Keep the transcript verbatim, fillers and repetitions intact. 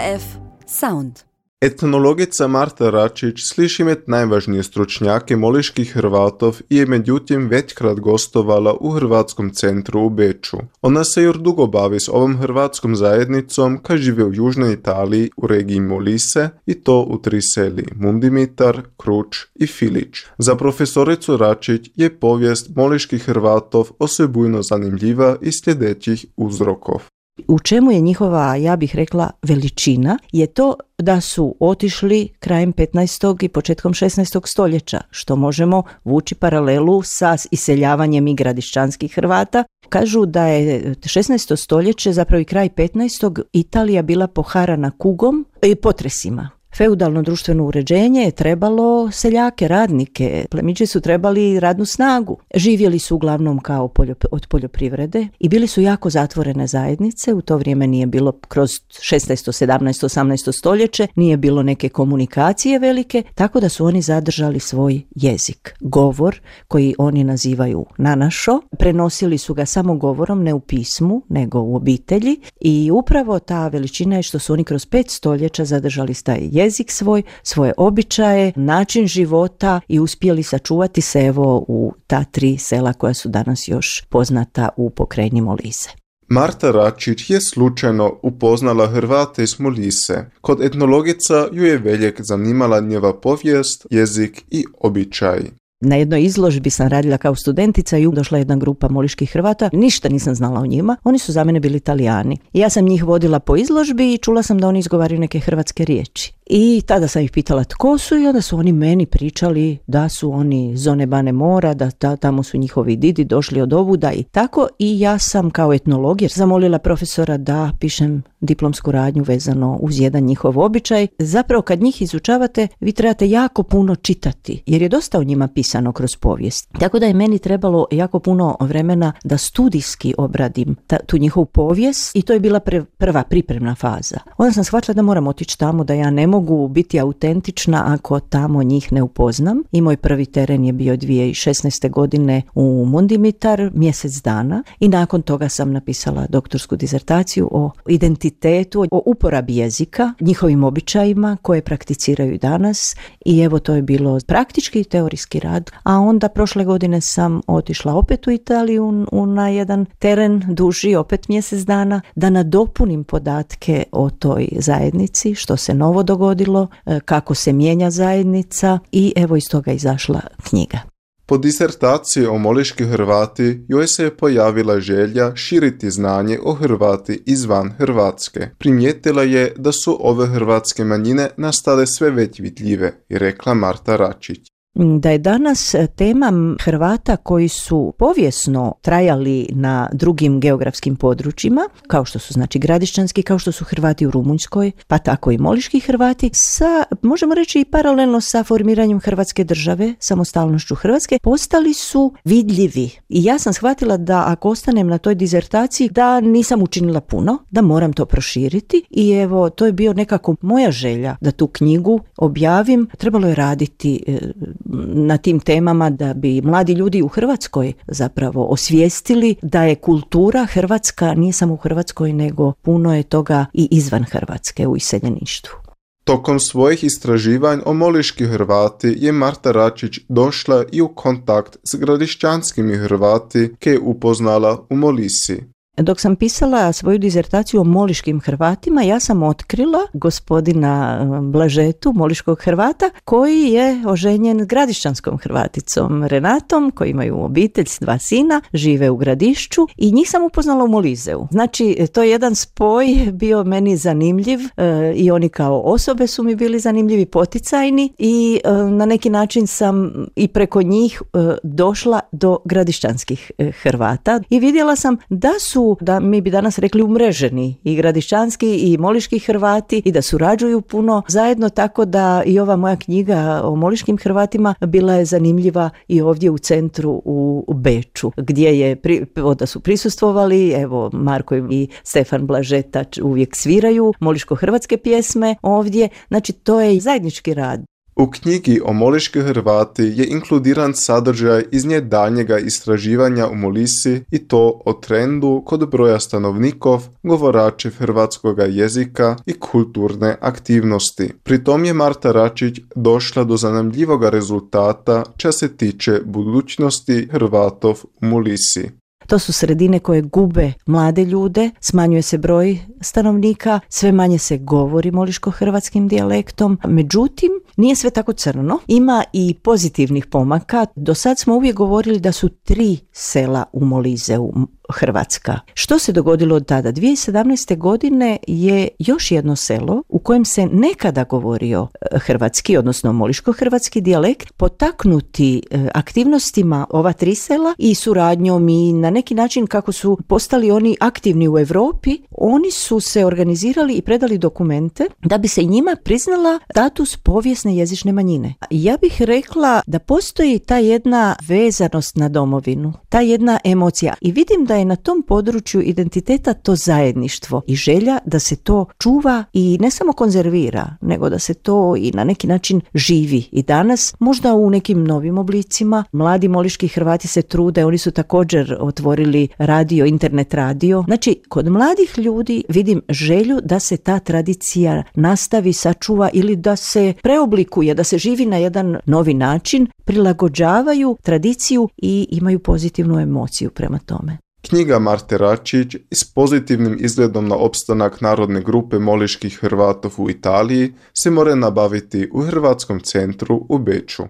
R F Sound. Etnologica Marta Račić sliši med najvažnije stručnjake moliških Hrvatov i je međutim većkrat gostovala u Hrvatskom centru u Beču. Ona se još dugo bavi s ovom hrvatskom zajednicom kad žive u južnoj Italiji u regiji Molise i to u tri seli Mundimitar, Kruč i Filić. Za profesoricu Račić je povijest moliških Hrvatov osebujno zanimljiva iz sljedećih uzrokov. U čemu je njihova, ja bih rekla, veličina, je to da su otišli krajem petnaestog i početkom šesnaestog stoljeća, što možemo vući paralelu sa iseljavanjem i gradišćanskih Hrvata. Kažu da je šesnaesto stoljeće, zapravo i kraj petnaestog Italija bila poharana kugom i potresima. Feudalno društveno uređenje je trebalo seljake, radnike, plemići su trebali radnu snagu. Živjeli su uglavnom kao poljop- od poljoprivrede i bili su jako zatvorene zajednice. U to vrijeme nije bilo, kroz šesnaesto, sedamnaesto, osamnaesto stoljeće, nije bilo neke komunikacije velike, tako da su oni zadržali svoj jezik, govor koji oni nazivaju nanašo. Prenosili su ga samo govorom, ne u pismu, nego u obitelji i upravo ta veličina je što su oni kroz pet stoljeća zadržali taj jezik. jezik svoj, svoje običaje, način života i uspjeli sačuvati se evo u ta tri sela koja su danas još poznata u pokrajini Molise. Marta Račić je slučajno upoznala Hrvate iz Molise. Kod etnologica ju je veljek zanimala njeva povijest, jezik i običaj. Na jednoj izložbi sam radila kao studentica i došla jedna grupa moliških Hrvata. Ništa nisam znala o njima. Oni su za mene bili Italijani. Ja sam njih vodila po izložbi i čula sam da oni izgovaraju neke hrvatske riječi. I tada sam ih pitala tko su i onda su oni meni pričali da su oni zone Bane Mora, da ta, tamo su njihovi didi došli od ovuda i tako. I ja sam kao etnolog jer zamolila profesora da pišem diplomsku radnju vezano uz jedan njihov običaj. Zapravo kad njih izučavate vi trebate jako puno čitati jer je dosta o njima pisano kroz povijest. Tako da je meni trebalo jako puno vremena da studijski obradim ta, tu njihovu povijest i to je bila pre, prva pripremna faza. Onda sam shvatila da moram otići tamo, da ja ne mogu biti autentična ako tamo njih ne upoznam. I moj prvi teren je bio dvije tisuće šesnaeste. godine u Mundimitar, mjesec dana i nakon toga sam napisala doktorsku dizertaciju o identitetu, o uporabi jezika, njihovim običajima koje prakticiraju danas i evo to je bilo praktički i teorijski rad. A onda prošle godine sam otišla opet u Italiju u, na jedan teren duži, opet mjesec dana, da nadopunim podatke o toj zajednici, što se novo dogodilo, kako se mijenja zajednica i evo iz toga izašla knjiga. Po disertaciji o moliški Hrvati joj se je pojavila želja širiti znanje o Hrvati izvan Hrvatske. Primijetila je da su ove hrvatske manjine nastale sve već vidljive i rekla Marta Račić. Da je danas tema Hrvata koji su povijesno trajali na drugim geografskim područjima, kao što su znači gradišćanski, kao što su Hrvati u Rumunjskoj, pa tako i moliški Hrvati, sa, možemo reći i paralelno sa formiranjem Hrvatske države, samostalnošću Hrvatske, postali su vidljivi. I ja sam shvatila da ako ostanem na toj dizertaciji, da nisam učinila puno, da moram to proširiti i evo, to je bio nekako moja želja da tu knjigu objavim. Trebalo je raditi e, na tim temama da bi mladi ljudi u Hrvatskoj zapravo osvijestili da je kultura hrvatska, nije samo u Hrvatskoj, nego puno je toga i izvan Hrvatske u iseljeništvu. Tokom svojih istraživanja o moliški Hrvati je Marta Račić došla i u kontakt s gradišćanskimi Hrvati ke je upoznala u Molisi. Dok sam pisala svoju dizertaciju o moliškim Hrvatima, ja sam otkrila gospodina Blažetu, moliškog Hrvata, koji je oženjen gradišćanskom Hrvaticom Renatom, koji imaju obitelj s dva sina, žive u Gradišću i njih sam upoznala u Moliseu. Znači, to je jedan spoj bio meni zanimljiv e, i oni kao osobe su mi bili zanimljivi, poticajni i e, na neki način sam i preko njih e, došla do gradišćanskih e, Hrvata i vidjela sam da su da mi bi danas rekli umreženi i gradišćanski i moliški Hrvati i da surađuju puno zajedno, tako da i ova moja knjiga o moliškim Hrvatima bila je zanimljiva i ovdje u centru u Beču, gdje je da su prisustvovali, evo Marko i Stefan Blažeta uvijek sviraju moliško-hrvatske pjesme ovdje, znači to je zajednički rad. U knjigi o moliški Hrvati je inkludiran sadržaj iz nje daljnjega istraživanja u Molisi i to o trendu kod broja stanovnikov, govoračev hrvatskoga jezika i kulturne aktivnosti. Pri tom je Marta Račić došla do zanimljivoga rezultata čo se tiče budućnosti Hrvatov u Molisi. To su sredine koje gube mlade ljude, smanjuje se broj stanovnika, sve manje se govori moliško-hrvatskim dijalektom. Međutim, nije sve tako crno. Ima i pozitivnih pomaka. Do sad smo uvijek govorili da su tri sela u Molizeu Hrvatska. Što se dogodilo od tada? dvije tisuće sedamnaeste. godine je još jedno selo u kojem se nekada govorio hrvatski, odnosno moliško-hrvatski dijalekt, potaknuti aktivnostima ova tri sela i suradnjom i na neki način kako su postali oni aktivni u Europi, oni su se organizirali i predali dokumente da bi se i njima priznala status povijesne jezične manjine. Ja bih rekla da postoji ta jedna vezanost na domovinu, ta jedna emocija i vidim da je na tom području identiteta to zajedništvo i želja da se to čuva i ne samo konzervira, nego da se to i na neki način živi. I danas, možda u nekim novim oblicima, mladi moliški Hrvati se trude, oni su također otvorili radio, internet radio. Znači, kod mladih ljudi vidim želju da se ta tradicija nastavi, sačuva ili da se preoblikuje, da se živi na jedan novi način, prilagođavaju tradiciju i imaju pozitivnu emociju prema tome. Knjiga Marte Račić s pozitivnim izgledom na opstanak narodne grupe moliških Hrvatov u Italiji se more nabaviti u Hrvatskom centru u Beču.